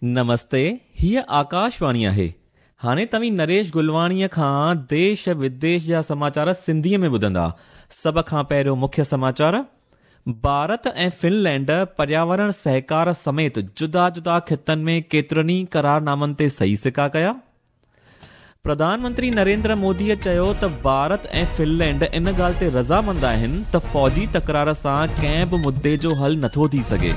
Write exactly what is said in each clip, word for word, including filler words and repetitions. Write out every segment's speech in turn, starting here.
نمستي، हीअ आकाशवाणी आहे। हाणे तव्हीं नरेश गुलवाणीअ खां देश विदेश जा समाचार सिंधीअ में ॿुधंदा। सभ खां पहिरियों मुख्य समाचार। भारत ऐं फिनलैंड पर्यावरण सहकार समेत जुदा जुदा खितनि में केतिरनि ई करारनामनि ते सही सिका कया। प्रधानमंत्री नरेंद्र मोदीअ चयो त भारत ऐं फिनलैंड इन ॻाल्हि ते रज़ामंद आहिनि त फ़ौजी तकरार सां कंहिं बि मुद्दे जो हल नथो थी सघे।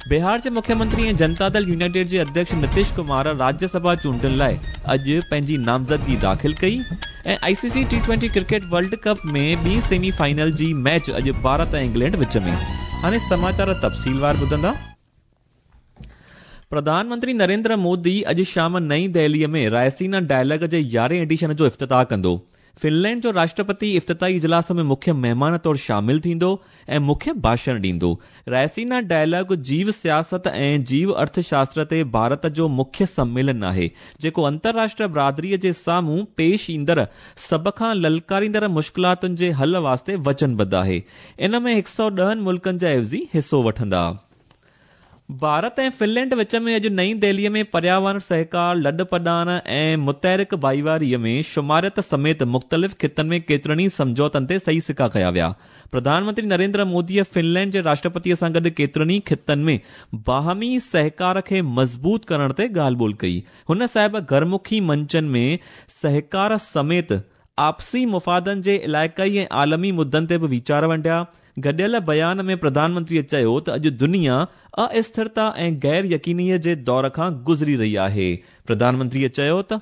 बिहार जे मुख्यमंत्री ऐं जनता दल यूनाइटेड जे अध्यक्ष नीतीश कुमार राज्यसभा चूंडुनि लाइ अॼु पंहिंजी नामज़दगी दाख़िल कई। ऐं I C C T twenty cricket world cup में ॿी सेमी फाइनल जी मैच अॼु भारत ऐं इंग्लैंड विच में। हाणे समाचार तफ़सीलवार ॿुधंदा। प्रधानमंत्री नरेंद्र मोदी अॼु शाम नई दिल्लीअ में रायसीना डायलॉग जे यारहें एडिशन जो इफ़्तिताह कंदो। फिनलैंड जो राष्ट्रपति इफ़्तिताही इजलास में मुख्य महिमान तौर शामिल थींदो ऐं मुख्य भाषण ॾींदो। रायसीना डायलॉग जीव सियासत ऐं जीव अर्थशास्त्र ते भारत जो मुख्य सम्मेलन आहे, जेको अंतर्राष्ट्रीय बरादरीअ जे साम्हूं पेश ईंदड़ सभ खां ललकारींदड़ मुश्किलातुनि जे हल वास्ते वचनबद्ध आहे। इन में हिकु सौ ॾहनि मुल्कनि जा एवज़ी हिसो वठंदा। भारत ऐं फिनलैंड विच में अॼु नई दिल्लीअ में पर्यावरण सहकार, लॾपॾान ऐं मुतहरिक भाईवारीअ में शुमारियत समेत मुख़्तलिफ़ खितनि में केतिरनि ई सम्झौतनि ते सही सिका कया विया। प्रधानमंत्री नरेंद्र मोदीअ फिनलैंड जे राष्ट्रपतीअ सां गॾु केतिरनि ई खितनि में बाहमी सहकार खे मज़बूत करण ते ॻाल्हि ॿोल कई। हुन साहिब घरमुखी मंचनि में सहकार समेत आपसी मुफ़ादनि जे इलाइक़ाई ऐं आलमी मुद्दनि ते बि वीचार वंडिया। गॾियल बयान में प्रधानमंत्रीअ चयो त अॼु दुनिया अस्थिरता ऐं गैर यकीनीअ जे दौर खां गुज़री रही आहे। प्रधानमंत्रीअ चयो त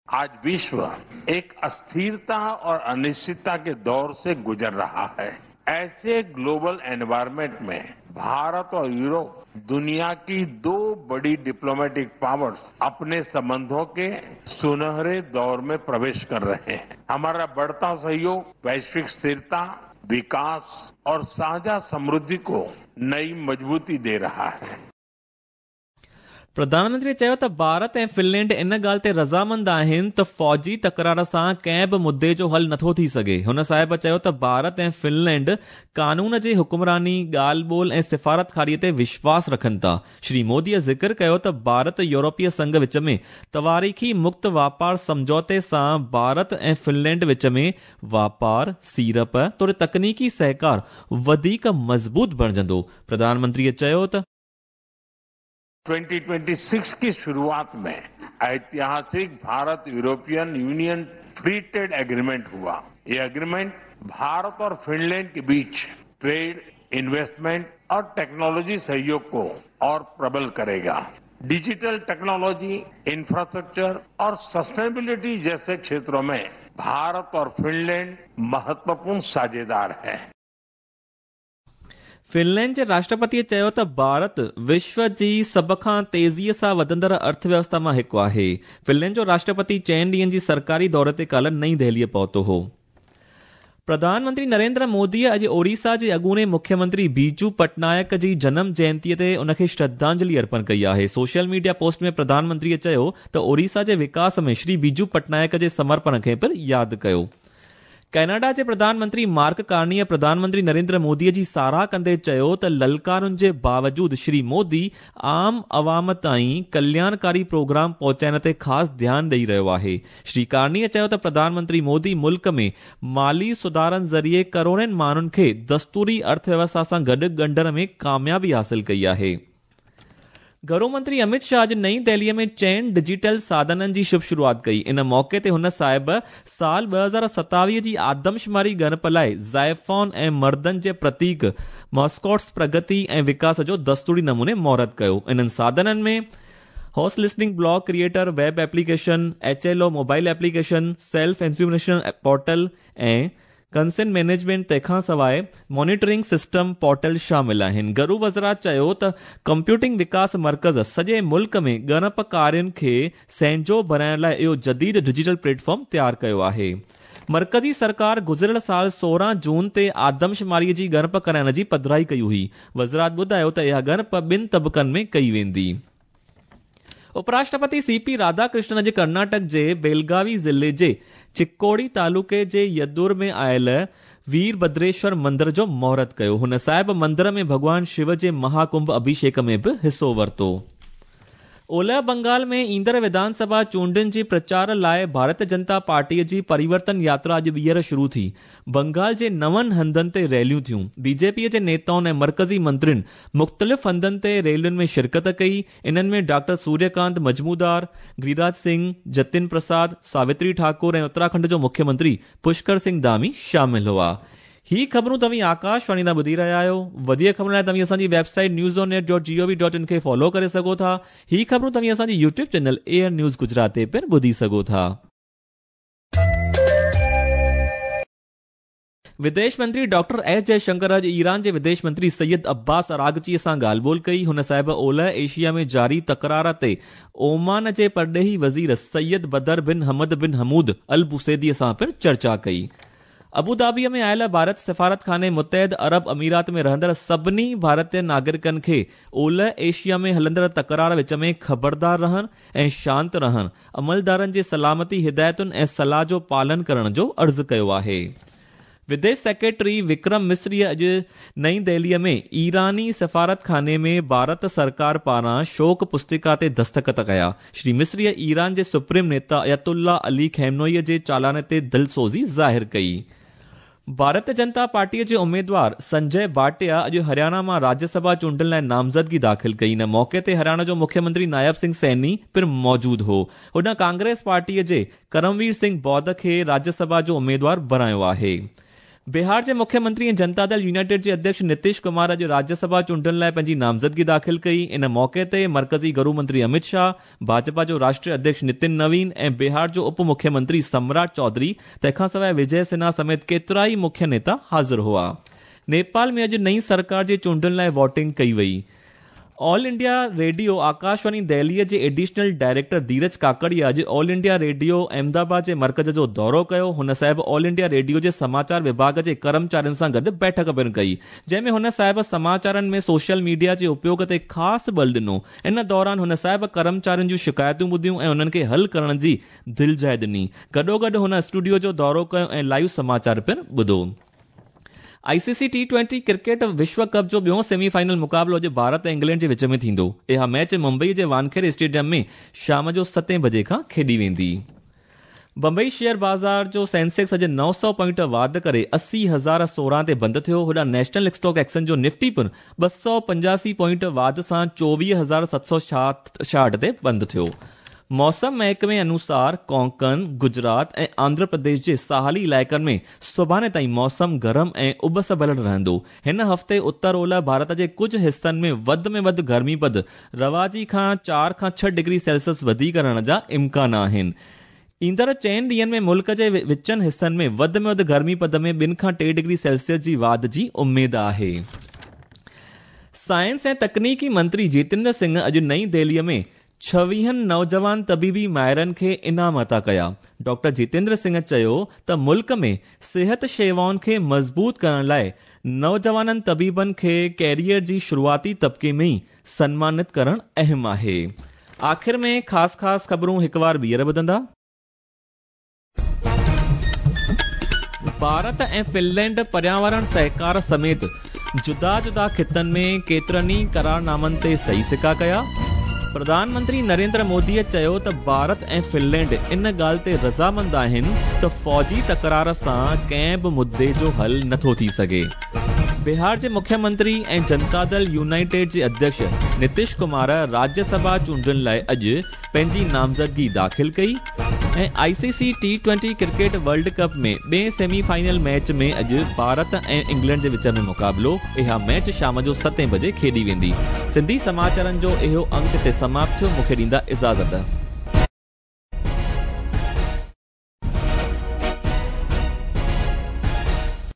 आज विश्व एक अस्थिरता और अनिश्चितता के दौर से गुजर रहा है। ऐसे ग्लोबल एनवायरनमेंट में भारत और यूरोप दुनिया की दो बड़ी डिप्लोमेटिक पावर्स अपने संबंधों के सुनहरे दौर में प्रवेश कर रहे हैं। हमारा बढ़ता सहयोग वैश्विक स्थिरता, विकास और साझा समृद्धि को नई मजबूती दे रहा है। प्रधानमंत्री चयो त भारत ऐं फिनलैंड इन ॻाल्हि ते रज़ामंद आहिनि त फ़ौजी तकरार सां कंहिं बि मुद्दे जो हल नथो थी सघे। हुन साहिब चयो त भारत ऐं फिनलैंड कानून जे हुक्मरानी, ॻाल्हि ॿोल ऐं सिफारतकारीअ ते विश्वास रखनि था। श्री मोदीअ ज़िक्र कयो त भारत यूरोपीय संघ विच में तवारीख़ी मुक्त वापार सम्झौते सां भारत ऐं फिनलैंड विच में वापार, सीरप तोड़े तकनीकी सहकार वधीक मज़बूत बणिजंदो। प्रधानमंत्रीअ चयो त ट्वेंटी ट्वेंटी सिक्स की शुरुआत में ऐतिहासिक Bharat European Union free trade agreement हुआ। ये एग्रीमेंट भारत और फिनलैंड के बीच ट्रेड, इन्वेस्टमेंट और टेक्नोलॉजी सहयोग को और प्रबल करेगा। डिजिटल टेक्नोलॉजी, इंफ्रास्ट्रक्चर और सस्टेनेबिलिटी जैसे क्षेत्रों में भारत और फिनलैंड महत्वपूर्ण साझेदार हैं। फिनलैंड जे राष्ट्रपतीअ चयो त भारत विश्व जी सभ खां तेज़ीअ सां वधंदड़ अर्थव्यवस्था मां हिकु आहे। फिनलैंड जो राष्ट्रपति चइनि ॾींहंनि जी सरकारी दौरे ते काल्ह नई दिल्लीअ पहुतो हो। प्रधानमंत्री नरेंद्र मोदीअ अॼु ओडिशा जे अॻूणे मुख्यमंत्री बीजू पटनायक जी जनम जयंतीअ ते उनखे श्रद्धांजलि अर्पण कई आहे। सोशल मीडिया पोस्ट में प्रधानमंत्रीअ चयो त ओडिशा जे विकास में श्री बीजू पटनायक जे समर्पण खे पिणु यादि कयो। कनाडा जे प्रधानमंत्री मार्क कार्नीअ प्रधानमंत्री नरेंद्र मोदीअ जी साराह कंदे चयो त ललकारुनि जे बावजूद श्री मोदी आम अवाम ताईं कल्याणकारी प्रोग्राम पहुचाइण ते ख़ासि ध्यानु ॾेई रहियो आहे। श्री कार्नीअ चयो त प्रधानमंत्री मोदी मुल्क में माली सुधारनि ज़रिए करोड़नि माण्हुनि खे दस्तूरी अर्थव्यवस्था सां गॾु ॻंढण में कामयाबी हासिल कई आहे। घरो मंत्री अमित शाह अॼु नई दिल्लीअ में चइनि डिजिटल साधननि जी शुभ शुरुआत कई। इन मौक़े ते हुन साहिब साल ॿ हज़ार सतावीह जी आदमशुमारी ॻणप लाइ ज़ाइफॉन ऐं मर्दनि जे प्रतीक मॉस्कॉट्स प्रगति ऐं विकास जो दस्तूरी नमूने मुहूर्त कयो। इन्हनि साधननि में house listing block creator web application, H L O mobile application, self enumeration portal ऐं कंसेंट मैनेजमेंट तंहिंखां सवाइ मॉनिटरिंग सिस्टम पोर्टल शामिल आहिनि। घरू वज़ारत चयो त कंप्यूटिंग विकास मर्कज़ सॼे मुल्क में ॻणप कार्यनि खे सहंजो बणाइण लाइ इहो जदीद डिजिटल प्लेटफॉर्म तयारु कयो आहे। मर्कज़ी सरकार गुज़िरियल साल सोरहं जून ते आदमशुमारीअ जी ॻणप कराइण जी पधराई कई हुई। वज़ारत ॿुधायो त इहा ॻणप ॿिनि तबक़नि में कई वेंदी। उपराष्ट्रपति सीपी राधाकृष्णन अॼु कर्नाटक जे बेलगावी ज़िले जे चिकोड़ी तालुके जे यदुर में आयल ويرڀدريشور مندر جو مهورت ڪيو. هن صاحب مندر ۾ ڀڳوان شو جي مهاڪنڀ اڀيشيڪ ۾ به حصو ورتو. اولهه بنگال ۾ ايندڙ وڌان سڀا چونڊن جي پرچار لاءِ ڀارتيه جنتا پارٽيءَ جي پريورتن ياترا اڄ ٻيهر شروع ٿي. بنگال جي نون هنڌن تي ريليون ٿيون. بي جي پيءَ جي نيتائن ۽ مرڪزي منترين مختلف هنڌن تي ريلين ۾ شرڪت ڪئي. انهن ۾ ڊاڪٽر سوريڪانت مجمودار، گريراج سنگهه، جتن پرساد، ساوتري ٺاڪر ۽ اتراکنڊ جو مکيه منتري پشڪر سنگهه ڌامي شامل هئا. هي خبرون توهين آڪاشواڻي تان ٻڌي رهيا آهيو. وڌيڪ خبرن لاءِ توهين اسان جي website news on air dot G O V dot in کي فالو ڪري سگهو ٿا. هي خبرون توهين اسان جي YouTube channel A R news Gujarat تي پڻ ٻڌي سگهو ٿا. وديش منتري ڊاڪٽر ايس جئشنڪر اڄ ايران جي وديش منتري سيد عباس اراغچي سان ڳالهه ٻولهه ڪئي. هن صاحب اولهه ايشيا ۾ جاري تڪرار تي اومان جي پرڏيهي وزير سيد بدر بن حمد بن حمود ال بوسيدي سان پڻ چرچا ڪئي. ابوڌابيءَ ۾ آيل ڀارت سفارت خاني متحد عرب اميرات ۾ رهندڙ سڀني ڀارتيه ناگرڪن کي اولهه ايشيا ۾ هلندڙ تڪرار وچ ۾ خبردار رهڻ ۽ شانت رهڻ، عملدارن جي سلامتي هدايتن ۽ صلاح جو پالن ڪرڻ جو عرض ڪيو آهي. وديش سيڪريٽري وڪرم مسري اڄ نئين دهليءَ ۾ ايراني سفارت خاني ۾ ڀارت سرڪار پاران شوڪ پستڪا تي دستخط ڪيا. شري مسري ايران جي سپريم نيتا آيت الله علي خامنئي جي چالان تي دلسوزي ظاهر ڪئي. ڀارتيه جنتا پارٽيءَ جي اميدوار سنجي ڀاٽيا اڄ هرياڻا مان راجيه سڀا چونڊن لاءِ نامزدگي داخل ڪئي. ان موقعي تي هرياڻا جو مکيه منتري نائب سنگهه سيني پڻ موجود هو. هن ڪانگريس پارٽيءَ جي ڪرموير سنگهه بوڌ کي راجيه سڀا جو اميدوار بڻايو آهي. بهار جي مکيه منتري ۽ جنتا دل يونائيٽيڊ جي اڌيڪش نتيش ڪمار اڄ راجيه سڀا چونڊن لاءِ پنهنجي نامزدگي داخل ڪئي. ان موقعي تي مرڪزي گهرو منتري امت شاهه، ڀاجپا جو راشٽريه اڌيڪش نتن نوين ۽ بهار جو اپ مکيه منتري سمراٽ چوڌري، تنهن کان سواءِ وجي سنها سميت ڪيترا ئي مکيه نيتا حاضر هئا. نيپال ۾ اڄ نئين سرڪار جي چونڊن لاءِ ووٽنگ ڪئي وئي. آل انڊيا ريڊيو آڪاشواڻي دهليءَ جي ايڊيشنل ڊائريڪٽر ڌيرج ڪاڪڙيا اڄ آل انڊيا ريڊيو احمدآباد جي مرڪز جو دورو ڪيو. هن صاحب آل انڊيا ريڊيو جي سماچار وڀاڳ جي ڪرمچارين سان گڏ بيٺڪ پڻ ڪئي، جنهن ۾ هن صاحب سماچارن ۾ سوشل ميڊيا جي اپيوگ تي خاص بل ڏنو. ان دوران هن صاحب ڪرمچارين جون شڪايتون ٻڌيون ۽ انهن کي حل ڪرڻ جي دلجاءِ ڏني. گڏوگڏ هن اسٽوڊيو جو دورو ڪيو ۽ لائيو سماچار پڻ ٻڌو. I C C T twenty cricket وشو ڪپ جو ٻيو سيمي فائنل مقابلو اڄ ڀارت ۽ انگلينڊ جي وچ ۾ ٿيندو. اها ميچ ممبئي جي وانکيڙي اسٽيڊيم ۾ شام جو ستين بجي کان کيڏي ويندي. بمبئي شيئر بازار جو سينسيڪس اڄ نو سؤ پوائنٽ واڌ ڪري اسي هزار سورهن تي بند ٿيو. هوڏانهن نيشنل اسٽاڪ ايڪسچينج جو نفٽي پڻ ٻه سؤ پنجاسي پوائنٽ واڌ سان چوويهه هزار ست سؤ ڇاهٺ تي بند ٿيو. موسم محڪمي انوسار ڪونڪن، گجرات ۽ آنڌرا پرديش جي ساحلي علائقن ۾ سڀاڻي تائين موسم گرم ۽ اٻس ڀريل رهندو. هن هفتي اتر اولهه ڀارت جي ڪجهه حصن ۾ وڌ ۾ وڌ گرمي پد رواجي کان چار کان ڇهه ڊگري سيلسيس وڌيڪ رهڻ جا امڪان آهن. ايندڙ چئن ڏينهن ۾ ملڪ جي وچن حصن ۾ وڌ ۾ وڌ گرمي پد ۾ ٻن کان ٽي ڊگري سيلسيس جي واڌ جي اميد آهي. سائنس ۽ تڪنيڪي منتري جتيندر سنگهه اڄ نئين دهليءَ ۾ ڇويهن نوجوان طبيبي ماهرن کي انعام عطا ڪيا. ڊاڪٽر جتيندر سنگهه چيو ته ملڪ ۾ صحت شيوائن کي مضبوط ڪرڻ لاءِ نوجوانن طبيبن کي ڪيريئر جي شروعاتي طبقي ۾ ئي سنمانت ڪرڻ اهم آهي. آخر ۾ خاص خاص خبرون هڪ بار ٻيهر ٻڌندا. ڀارت ۽ فنلينڊ پرياورڻ سهڪار سميت جدا جدا خطن ۾ ڪيترن ئي قرارنامن تي صحيح سڪا ڪيا. پرڌان منتري نريندر موديءَ چيو ته ڀارت ۽ فنلينڊ ان ڳالهه تي رضامند آهن ته فوجي تڪرار سان ڪنهن به مدعي جو حل نٿو ٿي سگهي. بهار جي مکيه منتري ۽ جنتا دل يونائيٽيڊ جي اڌيڪش نتيش ڪمار راجيه سڀا چونڊن لاءِ اڄ پنهنجي نامزدگي داخل ڪئي. ۽ I C C T twenty cricket world cup ۾ ٻئي سيمي فائنل ميچ ۾ اڄ ڀارت ۽ انگلينڊ جي وچ ۾ مقابلو. اها ميچ شام جو ستين بجي کيڏي ويندي. سنڌي سماچارن جو اهو انڪ هتي سماپت ٿيو. مون کي ڏيندا اجازت.